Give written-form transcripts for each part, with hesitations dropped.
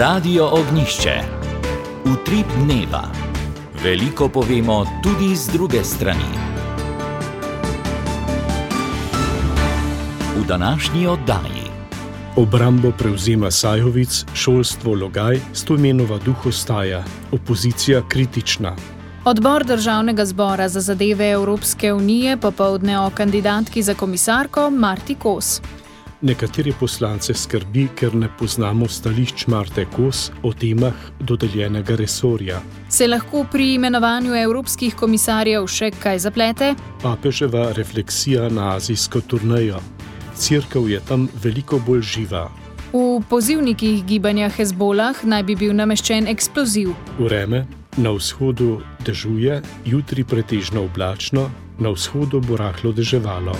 Radio Ognjišče. Utrip dneva. Veliko povemo tudi z druge strani. V današnji oddaji. Obrambo prevzema Sajovic, šolstvo Logaj, Stojmenova duh ostaja, opozicija kritična. Odbor Državnega zbora za zadeve Evropske unije popoldne o kandidatki za komisarko Marti Kos. Nekatere poslance skrbi, ker ne poznamo stališč Marte Kos o temah dodeljenega resorja. Se lahko pri imenovanju evropskih komisarjev še kaj zaplete? Papeževa refleksija na azijsko turnejo. Cerkev je tam veliko bolj živa. V pozivnikih gibanja Hezbolah naj bi bil nameščen eksploziv. Vreme, na vzhodu dežuje, jutri pretežno oblačno, na vzhodu bo rahlo deževalo.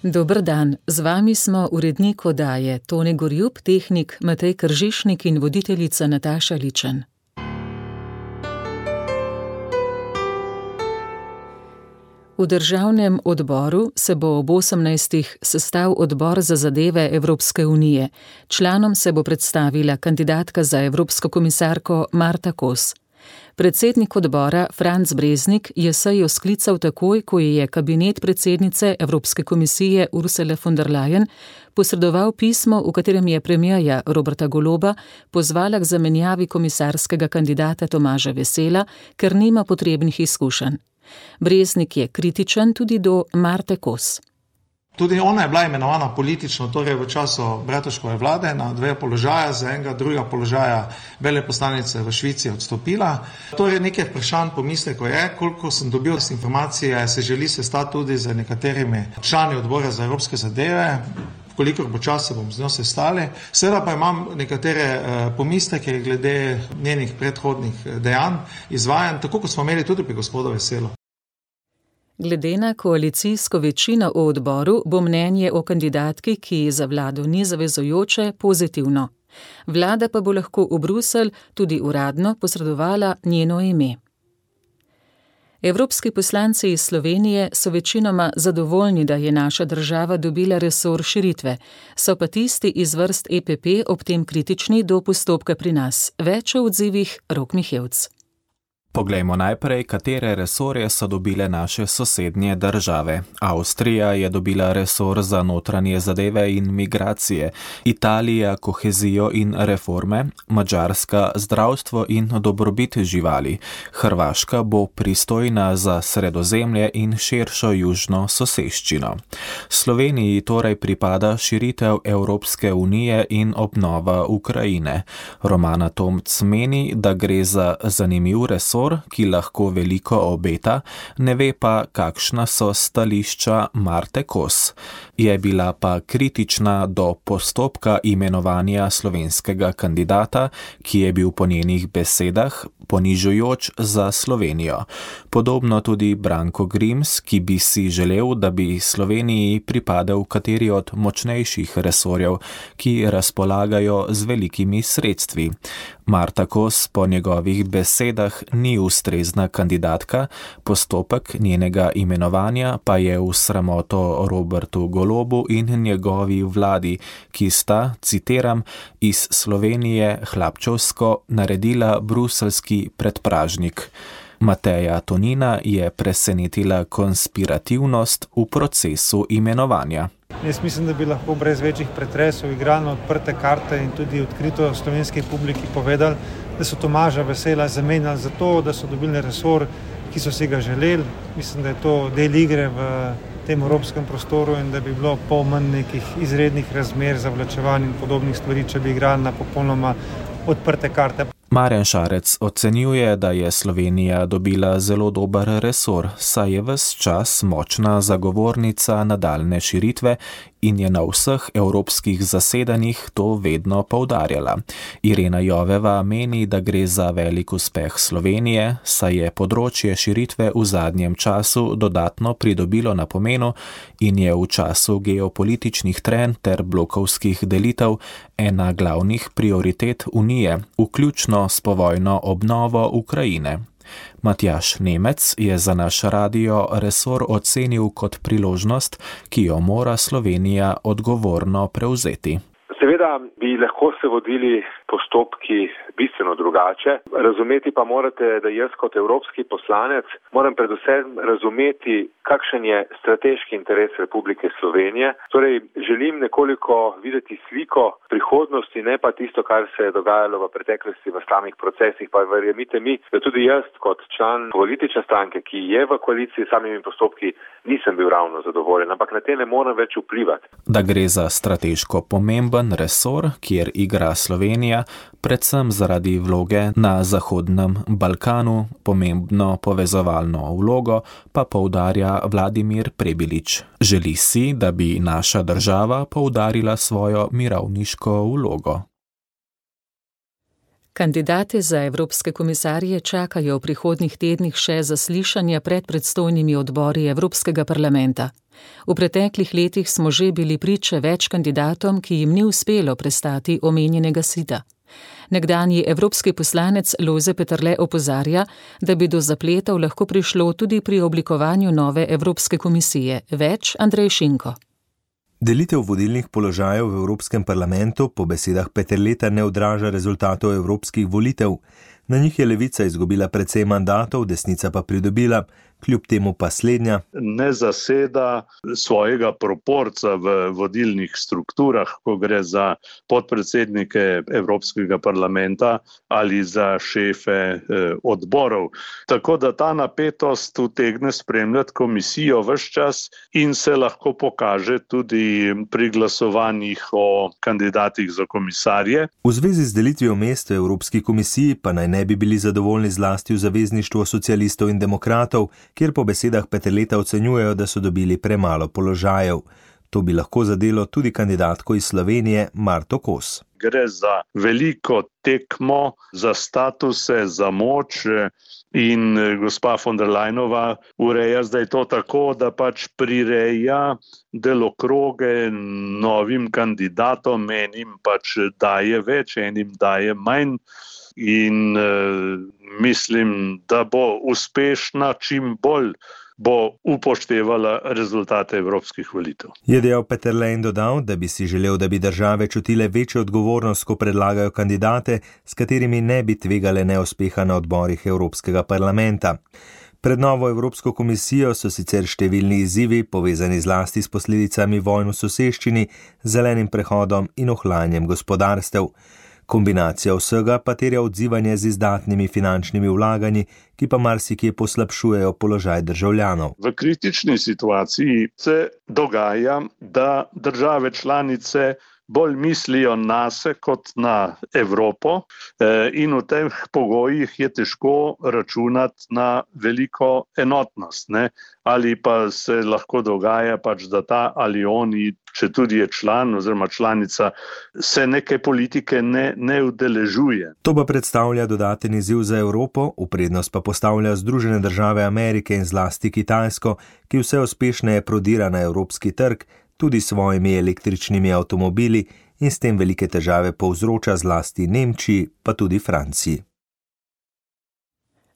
Dober dan, z vami smo urednik oddaje Tone Gorjup, tehnik Matej Kržišnik in voditeljica Nataša Ličen. V državnem odboru se bo ob 18. sestal odbor za zadeve Evropske unije. Članom se bo predstavila kandidatka za evropsko komisarko Marta Kos. Predsednik odbora Franc Breznik je sejo sklical takoj, ko je kabinet predsednice Evropske komisije Ursule von der Leyen posredoval pismo, v katerem je premierja Roberta Goloba pozvala k zamenjavi komisarskega kandidata Tomaža Vesela, ker nima potrebnih izkušenj. Breznik je kritičen tudi do Marte Kos. Tudi ona je bila imenovana politično, torej v času Bratuškove vlade na 2 položaja, za enega drugega položaja veleposlanice v Švici odstopila. Torej nekaj vprašanj pomislekov je, koliko sem dobil informacije, se želi sestati tudi z nekaterimi člani odbora za evropske zadeve, kolikor bo čas se bom z njo sestali. Seveda pa imam nekatere pomisleke glede njenih predhodnih dejanj, izvajanj, tako kot smo imeli tudi pri gospodu Veselu. Glede na koalicijsko večino v odboru bo mnenje o kandidatki, ki za vlado ni zavezujoče, pozitivno. Vlada pa bo lahko v Bruselj tudi uradno posredovala njeno ime. Evropski poslanci iz Slovenije so večinoma zadovoljni, da je naša država dobila resor širitve, so pa tisti iz vrst EPP ob tem kritični do postopka pri nas. Več o odzivih Rok Mihevc. Poglejmo najprej, katere resorje so dobile naše sosednje države. Avstrija je dobila resor za notranje zadeve in migracije, Italija kohezijo in reforme, Madžarska zdravstvo in dobrobit živali, Hrvaška bo pristojna za Sredozemlje in širšo južno soseščino. Sloveniji torej pripada širitev Evropske unije in obnova Ukrajine. Romana Tomc meni, da gre za zanimiv resor, ki lahko veliko obeta, ne ve pa, kakšna so stališča Marte Kos. Je bila pa kritična do postopka imenovanja slovenskega kandidata, ki je bil po njenih besedah ponižujoč za Slovenijo. Podobno tudi Branko Grims, ki bi si želel, da bi Sloveniji pripadal kateri od močnejših resorjev, ki razpolagajo z velikimi sredstvi. Marta Kos po njegovih besedah ni ustrezna kandidatka, postopek njenega imenovanja pa je v sramoto Robertu Golobu in njegovi vladi, ki sta, citiram, iz Slovenije hlapčevsko naredila bruseljski predpražnik. Mateja Tonina je presenetila konspirativnost v procesu imenovanja. Jaz mislim, da bi lahko brez večjih pretresov igrali na odprte karte in tudi odkrito slovenski publiki povedali, da so Tomaža Vesela zamenjali za to, da so dobili resor, ki so si ga želeli. Mislim, da je to del igre v tem evropskem prostoru in da bi bilo pol manj nekih izrednih razmer, zavlačevanj in podobnih stvari, če bi igrali na popolnoma odprte karte. Marjan Šarec ocenjuje, da je Slovenija dobila zelo dober resor, saj je ves čas močna zagovornica nadaljne širitve in je na vseh evropskih zasedanjih to vedno poudarjala. Irena Joveva meni, da gre za velik uspeh Slovenije, saj je področje širitve v zadnjem času dodatno pridobilo na pomenu in je v času geopolitičnih trenj ter blokovskih delitev ena glavnih prioritet Unije, vključno s povojno obnovo Ukrajine. Matjaž Nemec je za naš radio resor ocenil kot priložnost, ki jo mora Slovenija odgovorno prevzeti. Seveda Seveda bi lahko se vodili postopki bistveno drugače. Razumeti pa morate, da jaz kot evropski poslanec moram predvsem razumeti, kakšen je strateški interes Republike Slovenije. Torej, želim nekoliko videti sliko prihodnosti, ne pa tisto, kar se je dogajalo v preteklosti v samih procesih. Pa verjemite mi, da tudi jaz kot član politične stranke, ki je v koaliciji s samimi postopki, nisem bil ravno zadovoljen, ampak na te ne morem več vplivati. Da gre za strateško pomemben resor, kjer igra Slovenija, predvsem zaradi vloge na Zahodnem Balkanu, pomembno povezovalno vlogo, pa poudarja Vladimir Prebilič. Želi si, da bi naša država poudarila svojo mirovniško vlogo. Kandidate za evropske komisarje čakajo v prihodnjih tednih še zaslišanja pred predstojnimi odbori Evropskega parlamenta. V preteklih letih smo že bili priče več kandidatom, ki jim ni uspelo prestati omenjenega sita. Nekdanji evropski poslanec Lojze Peterle opozarja, da bi do zapletov lahko prišlo tudi pri oblikovanju nove Evropske komisije. Več Andrej Šinko. Delitev vodilnih položajev v Evropskem parlamentu po besedah Peterleta ne odraža rezultatov evropskih volitev. Na njih je levica izgubila precej mandatov, desnica pa pridobila, kljub temu pa slednja ne zaseda svojega proporca v vodilnih strukturah, ko gre za podpredsednike Evropskega parlamenta ali za šefe odborov. Tako da ta napetost utegne spremljati komisijo ves čas in se lahko pokaže tudi pri glasovanjih o kandidatih za komisarje. V zvezi z delitvijo mest v Evropski komisiji pa naj ne bi bili zadovoljni zlasti v Zavezništvu socialistov in demokratov, kjer po besedah Peterleta ocenjujejo, da so dobili premalo položajev. To bi lahko zadelo tudi kandidatko iz Slovenije Marto Kos. Gre za veliko tekmo, za statuse, za moč in gospa von der Leyenova ureja zdaj to tako, da pač prireja delokroge novim kandidatom, enim pač daje več, enim daje manj. In mislim, da bo uspešna, čim bolj bo upoštevala rezultate evropskih volitev. Je dejal Peterle in dodal, da bi si želel, da bi države čutile večjo odgovornost, ko predlagajo kandidate, s katerimi ne bi tvegale neuspeha na odborih Evropskega parlamenta. Pred novo Evropsko komisijo so sicer številni izzivi, povezani zlasti s posledicami vojn v soseščini, zelenim prehodom in ohlajanjem gospodarstev. Kombinacija vsega pa terja odzivanje z izdatnimi finančnimi vlaganji, ki pa marsikje poslabšujejo položaj državljanov. V kritični situaciji se dogaja, da države članice bolj mislijo nase kot na Evropo in v teh pogojih je težko računati na veliko enotnost. Ali pa se lahko dogaja pač, da ta ali oni, če tudi je član oziroma članica, se neke politike ne udeležuje. To pa predstavlja dodaten izziv za Evropo, v prednost pa postavlja Združene države Amerike in zlasti Kitajsko, ki vse uspešneje prodira na evropski trg, tudi s svojimi električnimi avtomobili in s tem velike težave povzroča zlasti Nemčiji, pa tudi Franciji.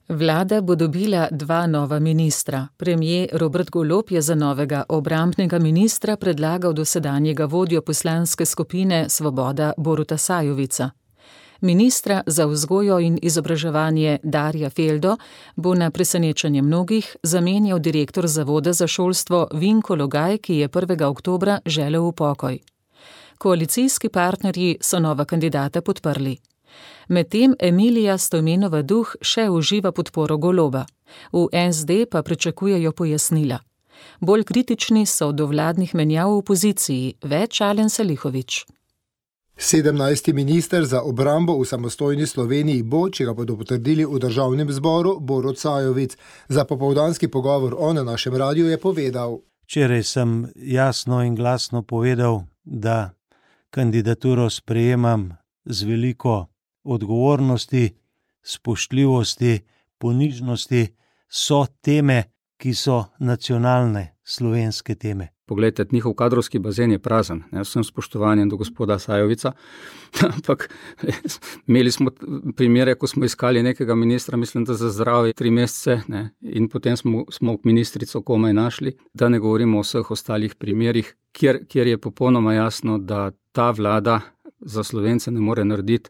Vlada bo dobila 2 nova ministra. Premier Robert Golob je za novega obrambnega ministra predlagal dosedanjega vodjo poslanske skupine Svoboda Boruta Sajovica. Ministra za vzgojo in izobraževanje Darja Feldo bo na presenečenje mnogih zamenjal direktor Zavoda za šolstvo Vinko Logaj, ki je 1. oktobra želel v pokoj. Koalicijski partnerji so nova kandidata podprli. Medtem Emilija Stojmenova Duh še uživa podporo Goloba. V SD pa pričakujejo pojasnila. Bolj kritični so do vladnih menjav v opoziciji, več Alen Salihović. 17. minister za obrambo v samostojni Sloveniji bo, če ga bodo potrdili v državnem zboru, Borut Sajovic. Za popoldanski pogovor na našem radiju je povedal: Včeraj sem jasno in glasno povedal, da kandidaturo sprejemam z veliko odgovornosti, spoštljivosti, ponižnosti, so teme, ki so nacionalne slovenske teme. Poglejte, njihov kadrovski bazen je prazen, vsem spoštovanjem do gospoda Sajovica, ampak imeli smo primere, ko smo iskali nekega ministra, mislim, da za zdravje 3 mesece, in potem smo ministrico komaj našli, da ne govorimo o vseh ostalih primerih, kjer je popolnoma jasno, da ta vlada za Slovence ne more narediti,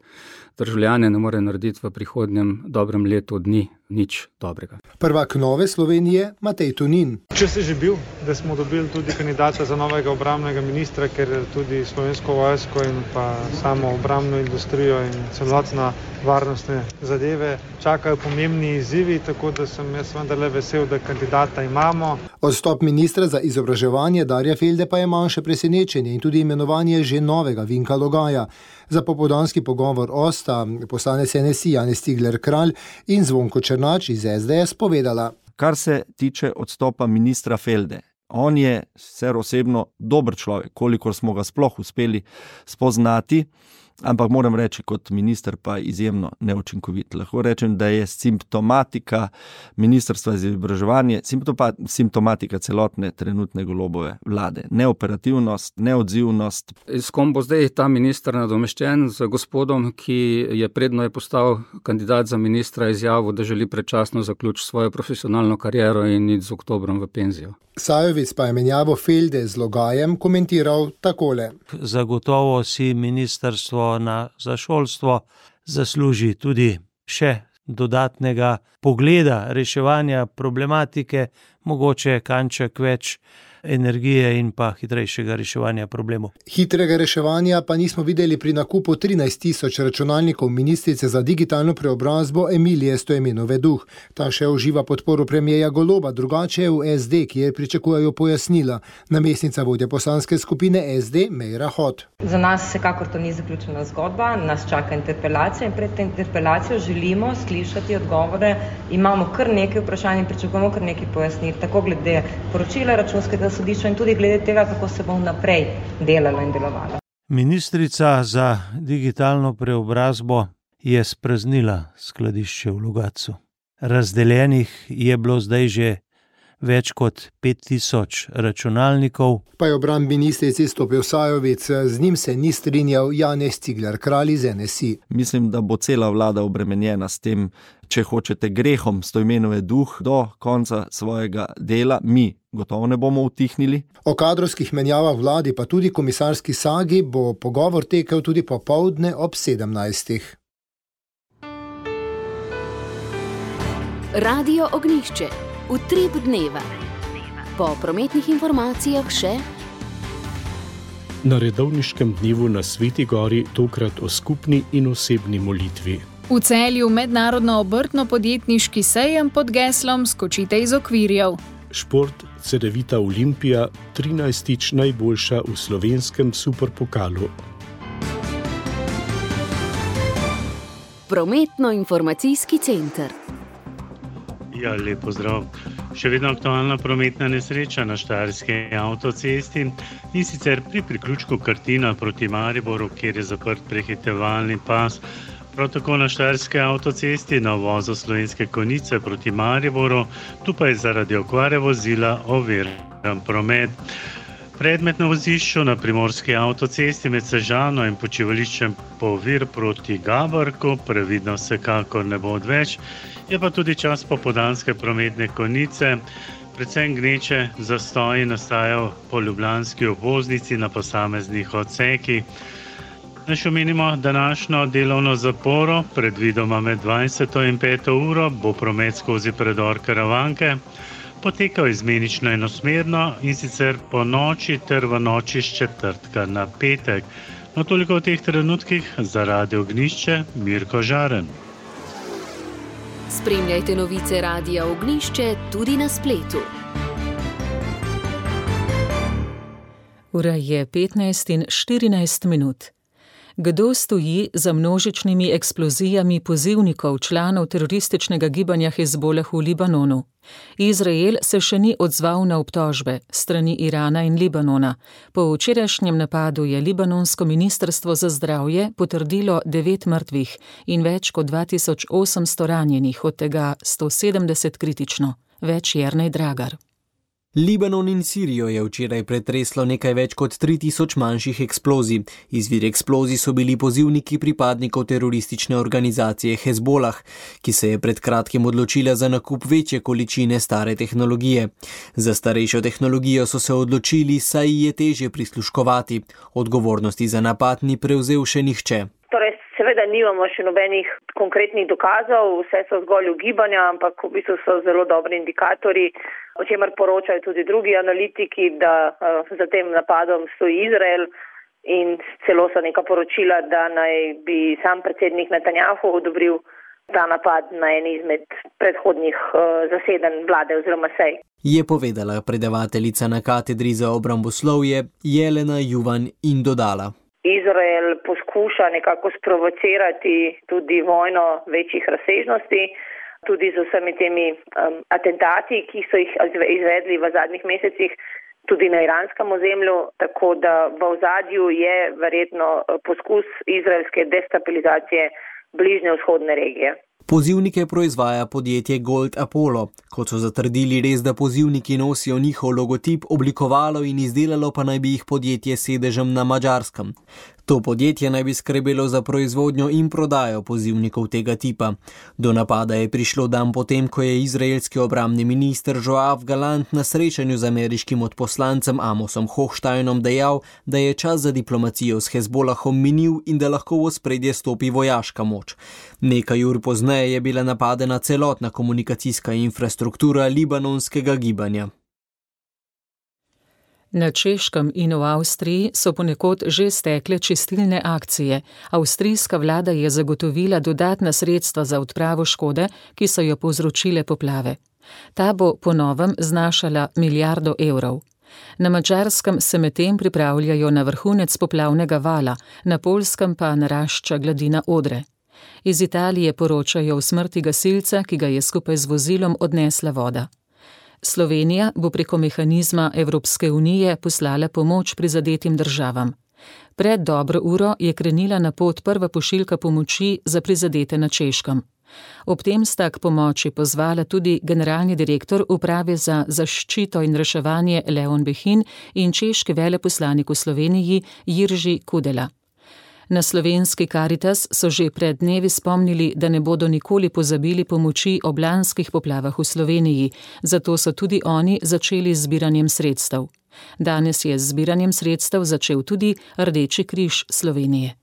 državljane ne more narediti v prihodnjem dobrem letu dni nič dobrega. Prvak Nove Slovenije Matej Tonin. Če se že bil, da smo dobili tudi kandidata za novega obrambnega ministra, ker tudi Slovensko vojsko in pa samo obrambno industrijo in celotna varnostne zadeve čakajo pomembni izzivi, tako da sem jaz vendarle vesel, da kandidata imamo. Odstop ministra za izobraževanje Darja Felde pa je manjše presenečenje in tudi imenovanje že novega Vinka Logaja. Za popoldanski pogovor sta poslanec NSI Janez Cigler Kralj in Zvonko Černač iz SDS povedala. Kar se tiče odstopa ministra Felde, on je sicer osebno dober človek, kolikor smo ga sploh uspeli spoznati, ampak moram reči, kot minister pa izjemno neučinkovit. Lahko rečem, da je simptomatika Ministrstva za izobraževanje, simptomatika celotne trenutne Golobove vlade. Neoperativnost, neodzivnost. S kom bo zdaj ta minister nadomeščen? Z gospodom, ki je predno je postal kandidat za ministra, izjavil, da želi predčasno zaključiti svojo profesionalno kariero in iti z oktobrom v penzijo. Sajovic pa je menjavo Felde z Logajem komentiral takole. Zagotovo si ministrstvo za šolstvo zasluži tudi še dodatnega pogleda reševanja problematike, mogoče kanček več energije in pa hitrejšega reševanja problemov. Hitrega reševanja pa nismo videli pri nakupu 13.000 računalnikov ministrice za digitalno preobrazbo Emilije Stojmenove Duh. Ta še uživa podporo premierja Goloba, drugače je v SD, kjer pričakujejo pojasnila. Namestnica vodja poslanske skupine SD Meira Hot. Za nas vsekakor to ni zaključena zgodba, nas čaka interpelacija in pred interpelacijo želimo slišati odgovore. Imamo kar nekaj vprašanj in pričakujemo kar nekaj pojasnil, tako glede poročila Računskega sodišča in tudi glede tega, kako se bo naprej delalo in delovalo. Ministrica za digitalno preobrazbo je spraznila skladišče v Logatcu. Razdeljenih je bilo zdaj že več kot 5000 računalnikov. Pa je obramb ministrici stopil Sajovic, z njim se ni strinjal Janez Cigler Kralj iz NSI. Mislim, da bo cela vlada obremenjena s tem, če hočete, grehom Stojmenove Duh do konca svojega dela. Mi gotovo ne bomo utihnili. O kadrovskih menjavah vladi pa tudi komisarski sagi bo pogovor tekel tudi popoldne ob 17. Radio Ognjišče. Utrip dneva. Po prometnih informacijah še. Na redovniškem dnevu na Sveti Gori tokrat o skupni in osebni molitvi. V Celju mednarodno obrtno-podjetniški sejem pod geslom Skočite iz okvirjev. Šport Cedevita Olimpija, 13. najboljša v slovenskem superpokalu. Prometno-informacijski center. Ja, lep pozdrav. Še vedno aktualna prometna nesreča na štajerski avtocesti in sicer pri priključku Krtina proti Mariboru, kjer je zaprt prehitevalni pas. Prav tako na štajerski avtocesti na uvozu Slovenske Konjice proti Mariboru, tu pa je zaradi okvare vozila oviran promet. Predmet na vozišču na primorski avtocesti med Sežano in počivališčem Povir proti Gaborku, previdno vsekakor ne bo odveč. Je pa tudi čas popoldanske prometne konice, predvsem gneče zastoji nastajajo po ljubljanski obvoznici na posameznih odsekih. Naj omenimo današnjo delovno zaporo, predvidoma med 20. in 5. uro bo promet skozi predor Karavanke potekal izmenično enosmerno in sicer po noči ter v noči s četrtka na petek. No, toliko v teh trenutkih za Radio Ognjišče, Mirko Žaren. Spremljajte novice Radia Ognjišče tudi na spletu. Ura je 15:14. Kdo stoji za množičnimi eksplozijami pozivnikov članov terorističnega gibanja Hezbolah v Libanonu? Izrael se še ni odzval na obtožbe strani Irana in Libanona. Po včerajšnjem napadu je libanonsko ministrstvo za zdravje potrdilo 9 mrtvih in več kot 2800 ranjenih, od tega 170 kritično. Več Jernej Dragar. Libanon in Sirijo je včeraj pretreslo nekaj več kot 3000 manjših eksplozij. Izvir eksplozij so bili pozivniki pripadnikov teroristične organizacije Hezbolah, ki se je pred kratkim odločila za nakup večje količine stare tehnologije. Za starejšo tehnologijo so se odločili, saj je težje prisluškovati. Odgovornosti za napad ni prevzel še nihče. Torej, seveda nimamo še nobenih konkretnih dokazov, vse so zgolj ugibanja, ampak v bistvu so zelo dobri indikatorji, o čemer poročajo tudi drugi analitiki, da za tem napadom stoji Izrael in celo so neka poročila, da naj bi sam predsednik Netanjahu odobril ta napad na eni izmed predhodnih zasedanj vlade oziroma sej. Je povedala predavateljica na katedri za obramboslovje Jelena Juvan in dodala. Izrael poskuša nekako sprovocirati tudi vojno večjih razsežnosti, tudi z vsemi temi atentati, ki so jih izvedli v zadnjih mesecih, tudi na iranskem ozemlju, tako da v ozadju je verjetno poskus izraelske destabilizacije bližnje vzhodne regije. Pozivnike proizvaja podjetje Gold Apollo. Kot so zatrdili, res da pozivniki nosijo njihov logotip, oblikovalo in izdelalo pa naj bi jih podjetje s sedežem na Madžarskem. To podjetje naj bi skrbelo za proizvodnjo in prodajo pozivnikov tega tipa. Do napada je prišlo dan potem, ko je izraelski obrambni minister Joav Galant na srečanju z ameriškim odposlancem Amosom Hochsteinom dejal, da je čas za diplomacijo s Hezbolahom minil in da lahko v ospredje stopi vojaška moč. Nekaj ur pozneje je bila napadena celotna komunikacijska infrastruktura libanonskega gibanja. Na Češkem in v Avstriji so ponekod že stekle čistilne akcije. Avstrijska vlada je zagotovila dodatna sredstva za odpravo škode, ki so jo povzročile poplave. Ta bo po novem znašala milijardo evrov. Na Madžarskem se medtem pripravljajo na vrhunec poplavnega vala, na Poljskem pa narašča gladina Odre. Iz Italije poročajo o smrti gasilca, ki ga je skupaj z vozilom odnesla voda. Slovenija bo preko mehanizma Evropske unije poslala pomoč prizadetim državam. Pred dobro uro je krenila na pot prva pošiljka pomoči za prizadete na Češkem. Ob tem sta k pomoči pozvala tudi generalni direktor Uprave za zaščito in reševanje Leon Behin in češki veleposlanik v Sloveniji Jirži Kudela. Na slovenski Karitas so že pred dnevi spomnili, da ne bodo nikoli pozabili pomoči ob lanskih poplavah v Sloveniji, zato so tudi oni začeli z zbiranjem sredstev. Danes je z zbiranjem sredstev začel tudi Rdeči križ Slovenije.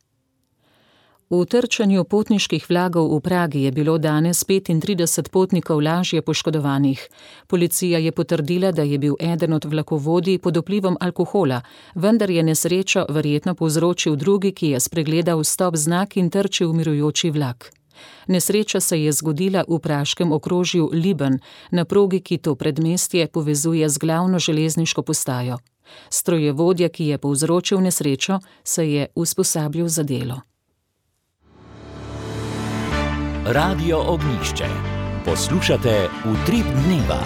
V trčenju potniških vlakov v Pragi je bilo danes 35 potnikov lažje poškodovanih. Policija je potrdila, da je bil eden od vlakovodij pod vplivom alkohola, vendar je nesrečo verjetno povzročil drugi, ki je spregledal stop znak in trčil mirujoči vlak. Nesreča se je zgodila v praškem okrožju Liben, na progi, ki to predmestje povezuje z glavno železniško postajo. Strojevodja, ki je povzročil nesrečo, se je usposabljal za delo. Radio Ognjišče. Poslušate Utrip dneva.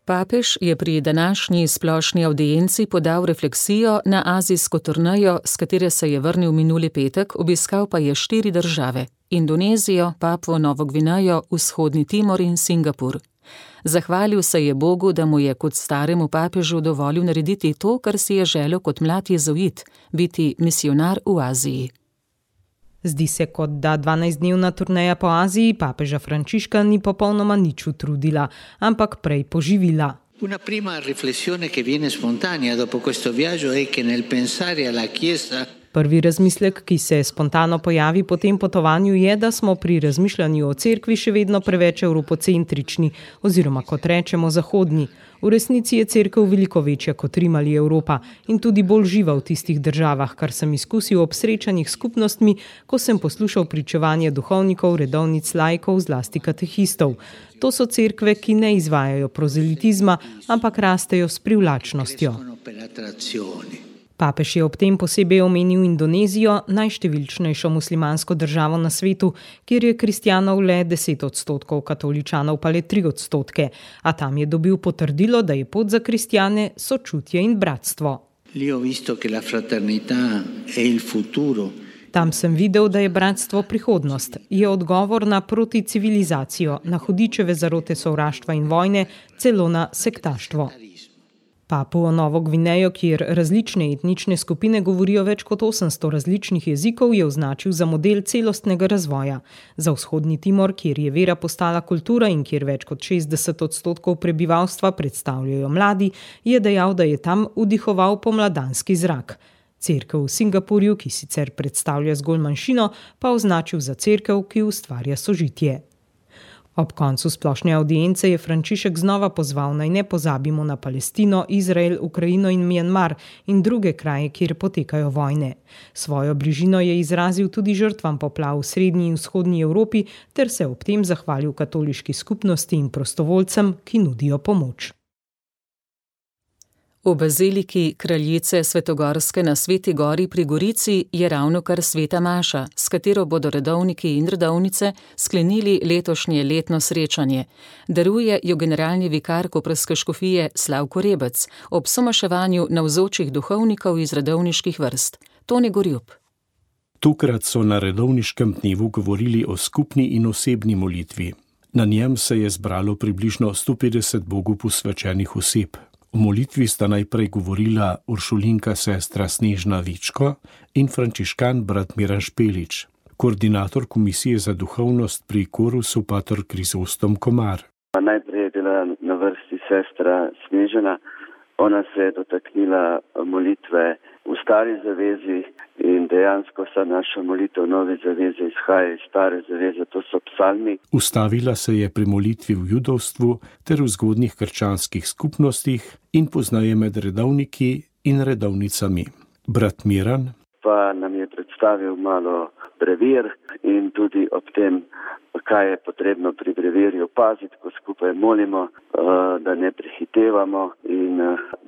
Papež je pri današnji splošni avdienci podal refleksijo na azijsko turnejo, s katere se je vrnil minuli petek, obiskal pa je 4 države: Indonezijo, Papuo Novo Gvinejo, Vzhodni Timor in Singapur. Zahvalil se je Bogu, da mu je kot staremu papežu dovolil narediti to, kar si je želel kot mlad jezuit, biti misionar v Aziji. Zdi se, kot da 12-dnevna turneja po Aziji papeža Frančiška ni popolnoma nič utrudila, ampak prej poživila. Una prima riflessione che viene spontanea dopo questo viaggio è che nel pensare alla Chiesa. Prvi razmislek, ki se spontano pojavi po tem potovanju, je, da smo pri razmišljanju o cerkvi še vedno preveč evropocentrični, oziroma kot rečemo zahodni. V resnici je cerkev veliko večja kot Rim ali Evropa in tudi bolj živa v tistih državah, kar sem izkusil ob srečanjih skupnostmi, ko sem poslušal pričevanje duhovnikov, redovnic, laikov, zlasti katehistov. To so cerkve, ki ne izvajajo prozelitizma, ampak rastejo s privlačnostjo. Papež je ob tem posebej omenil Indonezijo, najštevilčnejšo muslimansko državo na svetu, kjer je kristjanov le 10%, katoličanov pa le 3%, a tam je dobil potrdilo, da je pot za kristjane sočutje in bratstvo. Lì ho visto che la fraternità è il futuro Tam sem videl, da je bratstvo prihodnost, je odgovor na proticivilizacijo, na hudičeve zarote sovraštva in vojne, celo na sektaštvo. Papuo Novo Gvinejo, kjer različne etnične skupine govorijo več kot 800 različnih jezikov, je označil za model celostnega razvoja. Za vzhodni Timor, kjer je vera postala kultura in kjer več kot 60% prebivalstva predstavljajo mladi, je dejal, da je tam vdihoval pomladanski zrak. Cerkev v Singapurju, ki sicer predstavlja zgolj manjšino, pa označil za cerkev, ki ustvarja sožitje. Ob koncu splošne avdience je Frančišek znova pozval, naj ne pozabimo na Palestino, Izrael, Ukrajino in Mjanmar in druge kraje, kjer potekajo vojne. Svojo bližino je izrazil tudi žrtvam poplav v srednji in vzhodnji Evropi ter se ob tem zahvalil katoliški skupnosti in prostovoljcem, ki nudijo pomoč. V baziliki kraljice Svetogorske na Sveti Gori pri Gorici je ravnokar sveta maša, s katero bodo redovniki in redovnice sklenili letošnje letno srečanje. Daruje jo generalni vikar koprske škofije Slavko Rebec ob somaševanju navzočih duhovnikov iz redovniških vrst. Toni Gorjup. Tokrat so na redovniškem dnevu govorili o skupni in osebni molitvi. Na njem se je zbralo približno 150 Bogu posvečenih oseb. V molitvi sta najprej govorila uršulinka sestra Snežna Vičko in frančiškan brat Miran Špelič, koordinator Komisije za duhovnost pri Korusu pater Krizostom Komar. Najprej je bila na vrsti sestra Snežana. Ona se je dotaknila molitve v stari zavezi in dejansko sa naša molitev v novi zavezi izhaja iz stare zaveze, to so psalmi. Ustavila se je pri molitvi v judovstvu ter v zgodnjih krščanskih skupnostih in poznaje med redovniki in redovnicami. Brat Miran pa nam je predstavil malo brevir in tudi ob tem, kaj je potrebno pri brevirju paziti, ko skupaj molimo, da ne prehitevamo in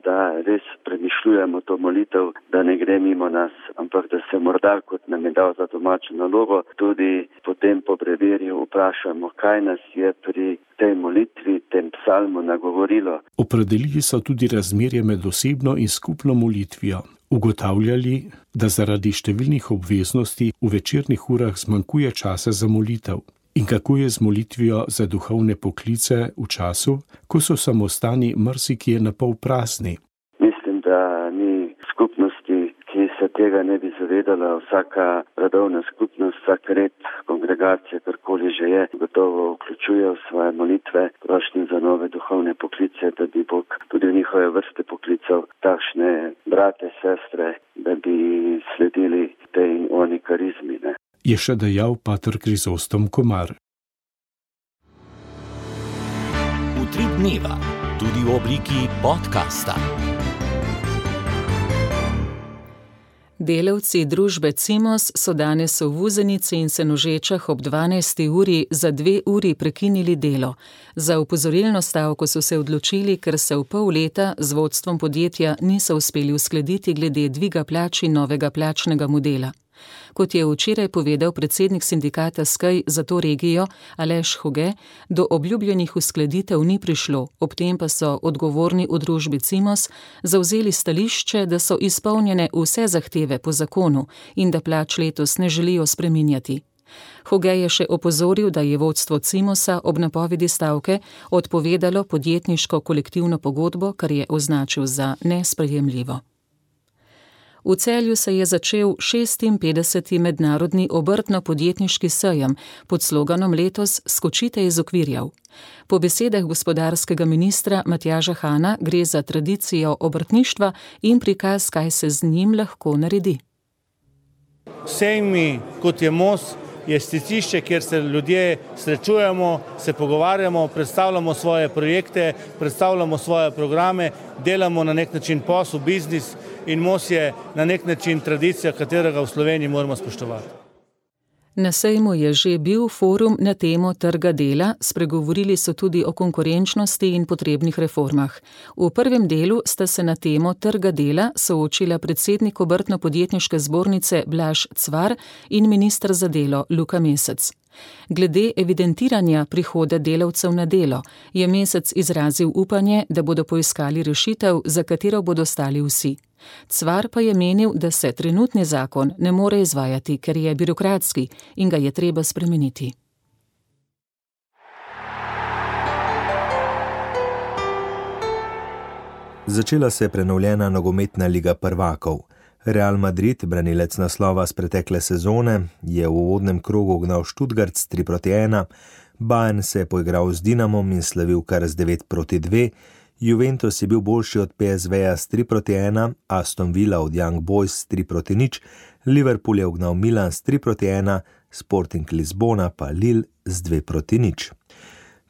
da res premišljujemo to molitev, da ne gre mimo nas, ampak da se morda, kot nam je dal za domačo nalogo, tudi potem po brevirju vprašamo, kaj nas je pri tej molitvi, tem psalmu nagovorilo. Opredelili so tudi razmerje med osebno in skupno molitvijo. Ugotavljali, da zaradi številnih obveznosti v večernih urah zmanjkuje časa za molitev. In kako je z molitvijo za duhovne poklice v času, ko so samostani marsikje napol prazni? Mislim, da ni skupnosti, ki se tega ne bi zavedala. Vsaka redovna skupnost, vsak red, kongregacija, karkoli že je, gotovo vključuje v svoje molitve prošnje za nove duhovne poklice, da bi Bog tudi v njihove vrste poklical takšne brate, sestre, da bi sledili tej in oni karizmi, ne. Je še dejal pater Krizostom Komar. Utrip dneva, tudi v obliki podcasta. Delavci družbe Cimos so danes v Vuzenici in Senožečah ob 12. uri za 2 uri prekinili delo. Za opozorilno stavko so se odločili, ker se v pol leta z vodstvom podjetja niso uspeli uskladiti glede dviga plač in novega plačnega modela. Kot je včeraj povedal predsednik sindikata SKEJ za to regijo Aleš Hoge, do obljubljenih uskladitev ni prišlo, ob tem pa so odgovorni v družbi Cimos zavzeli stališče, da so izpolnjene vse zahteve po zakonu in da plač letos ne želijo spreminjati. Hoge je še opozoril, da je vodstvo Cimosa ob napovedi stavke odpovedalo podjetniško kolektivno pogodbo, kar je označil za nesprejemljivo. V Celju se je začel 56. mednarodni obrtno-podjetniški sejem pod sloganom letos Skočite iz okvirjev. Po besedah gospodarskega ministra Matjaža Hana gre za tradicijo obrtništva in prikaz, kaj se z njim lahko naredi. Sejmi, kot je most, je stičišče, kjer se ljudje srečujemo, se pogovarjamo, predstavljamo svoje projekte, predstavljamo svoje programe, delamo na nek način posel, biznis in most je na nek način tradicija, katerega v Sloveniji moramo spoštovati. Na sejmu je že bil forum na temo trga dela, spregovorili so tudi o konkurenčnosti in potrebnih reformah. V prvem delu sta se na temo trga dela soočila predsednik obrtno-podjetniške zbornice Blaž Cvar in minister za delo Luka Mesec. Glede evidentiranja prihoda delavcev na delo je Mesec izrazil upanje, da bodo poiskali rešitev, za katero bodo stali vsi. Cvar pa je menil, da se trenutni zakon ne more izvajati, ker je birokratski in ga je treba spremeniti. Začela se je prenovljena nogometna liga prvakov. Real Madrid, branilec naslova z pretekle sezone, je v uvodnem krogu gnal Stuttgart s 3-1, Bayern se je poigral z Dinamom in slavil kar z 9-2, Juventus je bil boljši od PSV-ja s 3-1, Aston Villa od Young Boys s 3-0, Liverpool je ugnal Milan s 3-1, Sporting Lisbona pa Lille z 2-0.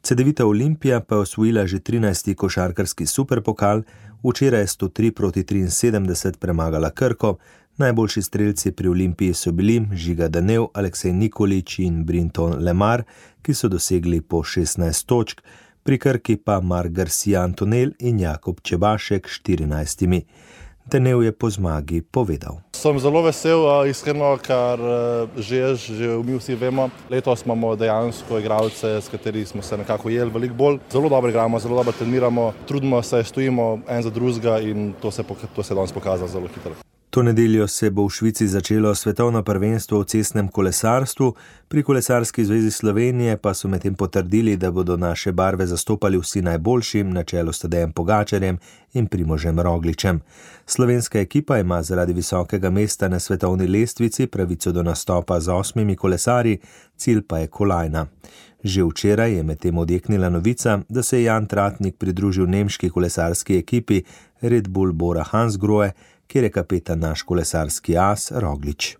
Cedevita Olimpija pa je osvojila že 13. košarkarski superpokal, včeraj je 103-73 premagala Krko, najboljši strelci pri Olimpiji so bili Žiga Danev, Aleksej Nikolić in Brinton Lemar, ki so dosegli po 16 točk, pri Krki pa Marc Garcia Antonel in Jakob Čebašek 14. Danev je po zmagi povedal. Sem zelo vesel, iskreno, ker že mi vsi vemo, letos imamo dejansko igralce, s katerimi smo se nekako jeli veliko bolj. Zelo dobro igramo, zelo dobro treniramo, trudimo se, stojimo en za drugega in to se je danes pokazalo zelo hitro. To nedeljo se bo v Švici začelo svetovno prvenstvo v cestnem kolesarstvu, pri Kolesarski zvezi Slovenije pa so medtem potrdili, da bodo naše barve zastopali vsi najboljši, na čelu s Tadejem Pogačarjem in Primožem Rogličem. Slovenska ekipa ima zaradi visokega mesta na svetovni lestvici pravico do nastopa z 8 kolesarji, cilj pa je kolajna. Že včeraj je medtem odjeknila novica, da se je Jan Tratnik pridružil nemški kolesarski ekipi Red Bull Bora Hansgrohe, kjer je kapetan naš kolesarski as Roglič.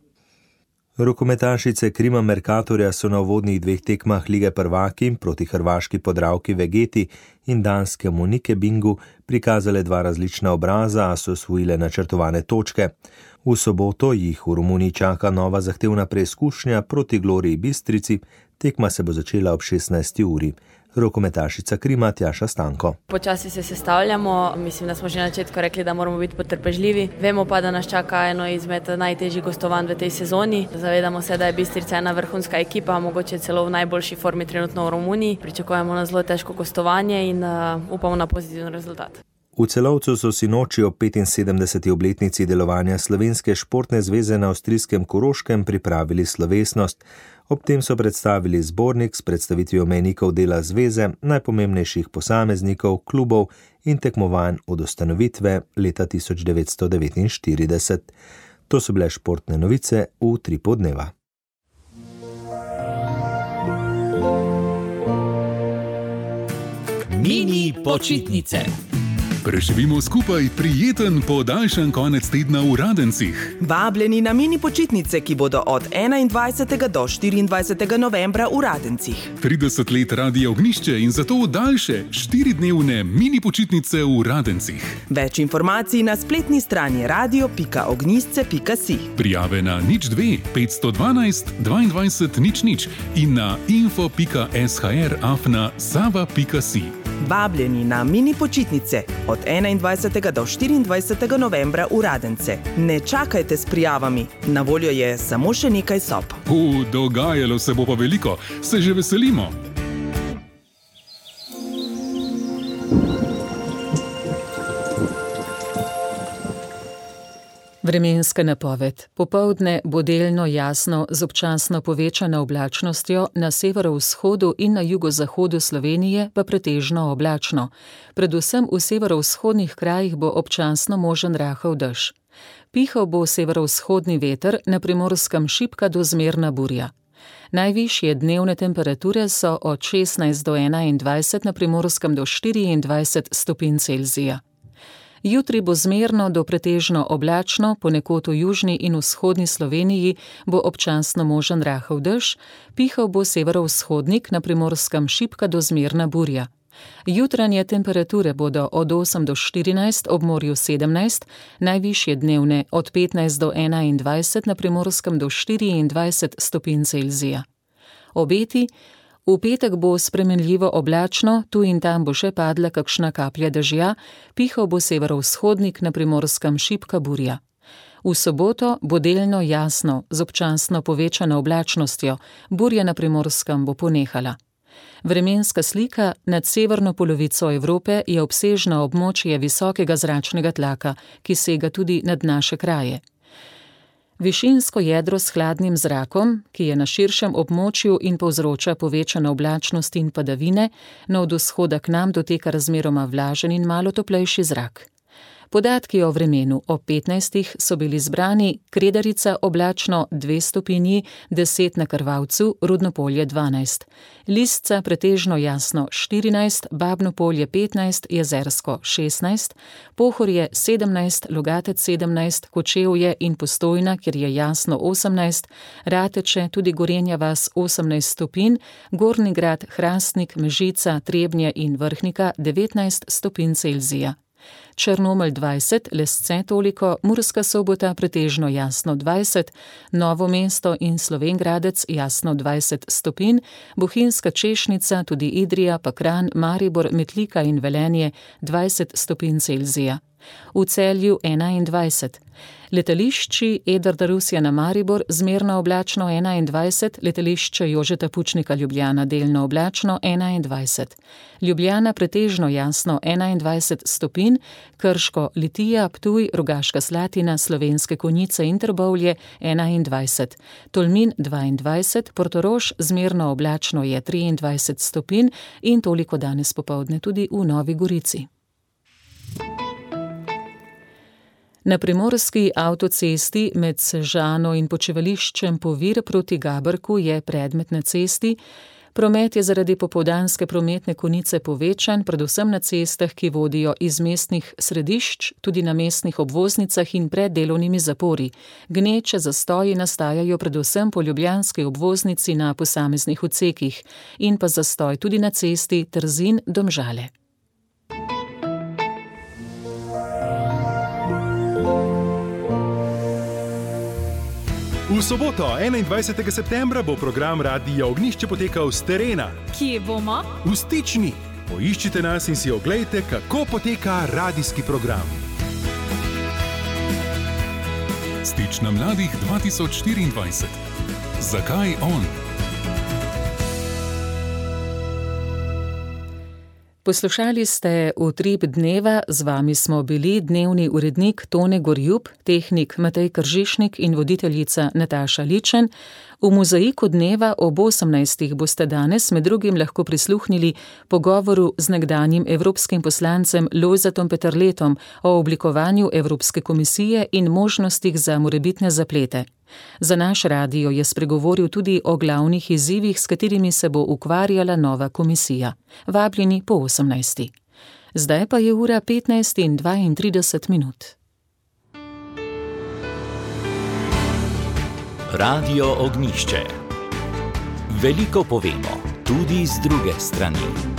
Rokometašice Krima Mercatorja so na uvodnih 2 tekmah Lige prvaki proti hrvaški Podravki Vegeti in danske Monike Bingu prikazale 2 različna obraza, a so osvojile načrtovane točke. V soboto jih v Romuniji čaka nova zahtevna preizkušnja proti Gloriji Bistrici, tekma se bo začela ob 16. uri. Rokometašica Krima Tjaša Stanko. Počasi se sestavljamo, mislim, da smo že na začetku rekli, da moramo biti potrpežljivi. Vemo pa, da nas čaka eno izmed najtežjih gostovanj v tej sezoni. Zavedamo se, da je Bistrica ena vrhunska ekipa, mogoče celo v najboljši formi trenutno v Romuniji. Pričakujemo na zelo težko gostovanje in upamo na pozitiven rezultat. V Celovcu so sinoči ob 75. obletnici delovanja Slovenske športne zveze na avstrijskem Koroškem pripravili slovesnost. Ob tem so predstavili zbornik s predstavitvijo mejnikov dela zveze, najpomembnejših posameznikov, klubov in tekmovanj od ustanovitve leta 1949. To so bile športne novice v 3 podneva. Mini počitnice. Preživimo skupaj prijeten podaljšan konec tedna v Radencih. Vabljeni na mini počitnice, ki bodo od 21. do 24. novembra v Radencih. 30 let Radia Ognjišče in zato daljše 4-dnevne mini počitnice v Radencih. Več informacij na spletni strani radio.ognjisce.si. Prijave na 02 512 22 00 in na info.shr@sava.si. Vabljeni na mini počitnice od 21. do 24. novembra v Radence. Ne čakajte s prijavami, na voljo je samo še nekaj sob. Dogajalo se bo pa veliko, se že veselimo. Vremenska napoved. Popoldne bo delno jasno z občasno povečano oblačnostjo, na severovzhodu in na jugozahodu Slovenije pa pretežno oblačno. Predvsem v severovzhodnih krajih bo občasno možen rahel dež. Pihal bo severovzhodni veter, na Primorskem šibka do zmerna burja. Najvišje dnevne temperature so od 16 do 21, na Primorskem do 24 stopinj Celzija. Jutri bo zmerno do pretežno oblačno, ponekod v južni in vzhodni Sloveniji bo občasno možen rahel dež, pihal bo severovzhodnik, na Primorskem šibka do zmerna burja. Jutranje temperature bodo od 8 do 14, ob morju 17, najvišje dnevne od 15 do 21, na Primorskem do 24 stopinj Celzija. Obeti. V petek bo spremenljivo oblačno, tu in tam bo še padla kakšna kaplja dežja, pihal bo severovzhodnik, na Primorskem šibka burja. V soboto bo delno jasno, z občasno povečano oblačnostjo, burja na Primorskem bo ponehala. Vremenska slika nad severno polovico Evrope je obsežno območje visokega zračnega tlaka, ki sega tudi nad naše kraje. Višinsko jedro s hladnim zrakom, ki je na širšem območju in povzroča povečano oblačnost in padavine, no od vzhoda k nam doteka razmeroma vlažen in malo toplejši zrak. Podatki o vremenu ob 15 so bili zbrani: Kredarica oblačno 2 stopinji, 10 na Krvavcu, Rudno Polje 12, Lisca pretežno jasno 14, Babno Polje 15, Jezersko 16, Pohorje 17, Logatec 17, Kočevje in Postojna, kjer je jasno 18, Rateče, tudi Gorenja vas 18 stopinj, Gornji Grad, Hrastnik, Mežica, Trebnje in Vrhnika 19 stopinj Celzija. Črnomelj 20, Lesce toliko, Murska Sobota pretežno jasno 20, Novo mesto in Slovenj Gradec jasno 20 stopinj, Bohinjska Češnica, tudi Idrija, pa Kranj, Maribor, Metlika in Velenje 20 stopinj Celzija. V Celju 21. Letališči Edvarda Rusjana Maribor zmerno oblačno 21, letališče Jožeta Pučnika Ljubljana delno oblačno 21. Ljubljana pretežno jasno 21 stopinj, Krško, Litija, Ptuj, Rogaška Slatina, Slovenske Konjice in Trbovlje 21. Tolmin 22, Portorož zmerno oblačno je 23 stopinj in toliko danes popoldne tudi v Novi Gorici. Na primorski avtocesti med Sežano in počivališčem Povir proti Gabrku je predmet na cesti. Promet je zaradi popoldanske prometne konice povečan, predvsem na cestah, ki vodijo iz mestnih središč, tudi na mestnih obvoznicah in pred delovnimi zapori. Gneče zastoji nastajajo predvsem po ljubljanski obvoznici na posameznih odsekih in pa zastoj tudi na cesti Trzin-Domžale. V soboto, 21. septembra, bo program Radia Ognjišče potekal s terena. Kje bomo? V Stični. Poiščite nas in si oglejte, kako poteka radijski program. Stična mladih 2024. Zakaj on? Poslušali ste Utrip dneva, z vami smo bili dnevni urednik Tone Gorjup, tehnik Matej Kržišnik in voditeljica Nataša Ličen. V mozaiku dneva ob 18. boste danes med drugim lahko prisluhnili pogovoru z nekdanjim evropskim poslancem Lojzetom Peterletom o oblikovanju Evropske komisije in možnostih za morebitne zaplete. Za naš radio je spregovoril tudi o glavnih izzivih, s katerimi se bo ukvarjala nova komisija. Vabljeni po 18. Zdaj pa je ura 15:32. Radio Ognjišče. Veliko povemo, tudi z druge strani.